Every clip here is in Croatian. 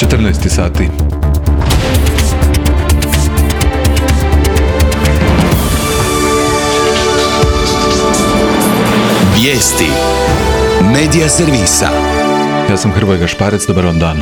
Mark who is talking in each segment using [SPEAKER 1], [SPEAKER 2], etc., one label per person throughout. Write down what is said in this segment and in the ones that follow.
[SPEAKER 1] 14 sati.
[SPEAKER 2] Vijesti Medija servisa.
[SPEAKER 1] Ja sam Hrvoje Gašparec, dobar vam dan.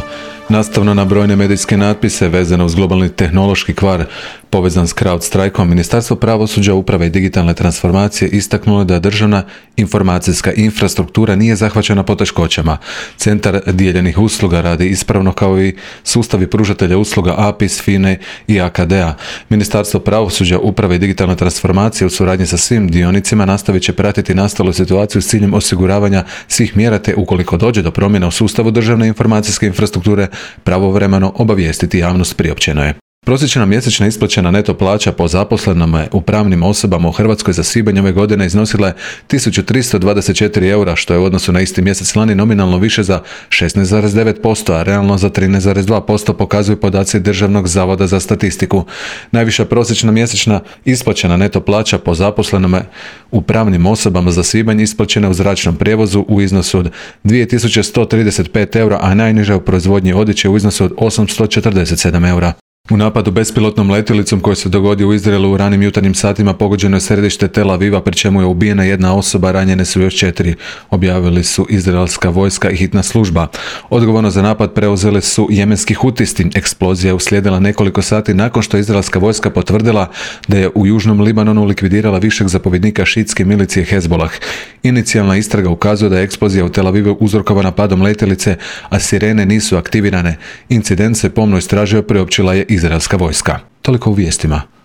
[SPEAKER 1] Nastavno na brojne medijske natpise vezano uz globalni tehnološki kvar povezan s CrowdStrikeom, Ministarstvo pravosuđa, uprave i digitalne transformacije istaknulo da državna informacijska infrastruktura nije zahvaćena poteškoćama. Centar dijeljenih usluga radi ispravno kao i sustavi pružatelja usluga APIS, FINE i AKD-a. Ministarstvo pravosuđa, uprave i digitalne transformacije u suradnji sa svim dionicima nastavit će pratiti nastalu situaciju s ciljem osiguravanja svih mjera te ukoliko dođe do promjena u sustavu državne informacijske infrastrukture pravovremeno obavijestiti javnost, priopćeno je. Prosječna mjesečna isplaćena neto plaća po zaposlenome u pravnim osobama u Hrvatskoj za svibanj ove godine iznosila je 1324 eura, što je u odnosu na isti mjesec lani nominalno više za 16,9%, a realno za 13,2%, pokazuju podaci Državnog zavoda za statistiku. Najviša prosječna mjesečna isplaćena neto plaća po zaposlenome u pravnim osobama za svibanj isplaćena u zračnom prijevozu u iznosu od 2135 eura, a najniža u proizvodnji odjeće u iznosu od 847 eura. U napadu bespilotnom letjelicom koji se dogodio u Izraelu u ranim jutarnjim satima pogođeno je središte Tel Aviva, pri čemu je ubijena jedna osoba, ranjene su još 4, objavili su izraelska vojska i hitna služba. Odgovorno za napad preuzeli su jemenski hutisti. Eksplozija je uslijedila nekoliko sati nakon što je izraelska vojska potvrdila da je u južnom Libanonu likvidirala višeg zapovjednika šiitske milicije Hezbollah. Inicijalna istraga ukazuje da je eksplozija u Tel Avivu uzrokovana padom letjelice, a sirene nisu aktivirane. Incident se pomno istražio, priopćila je izraelska vojska. Toliko u vijestima.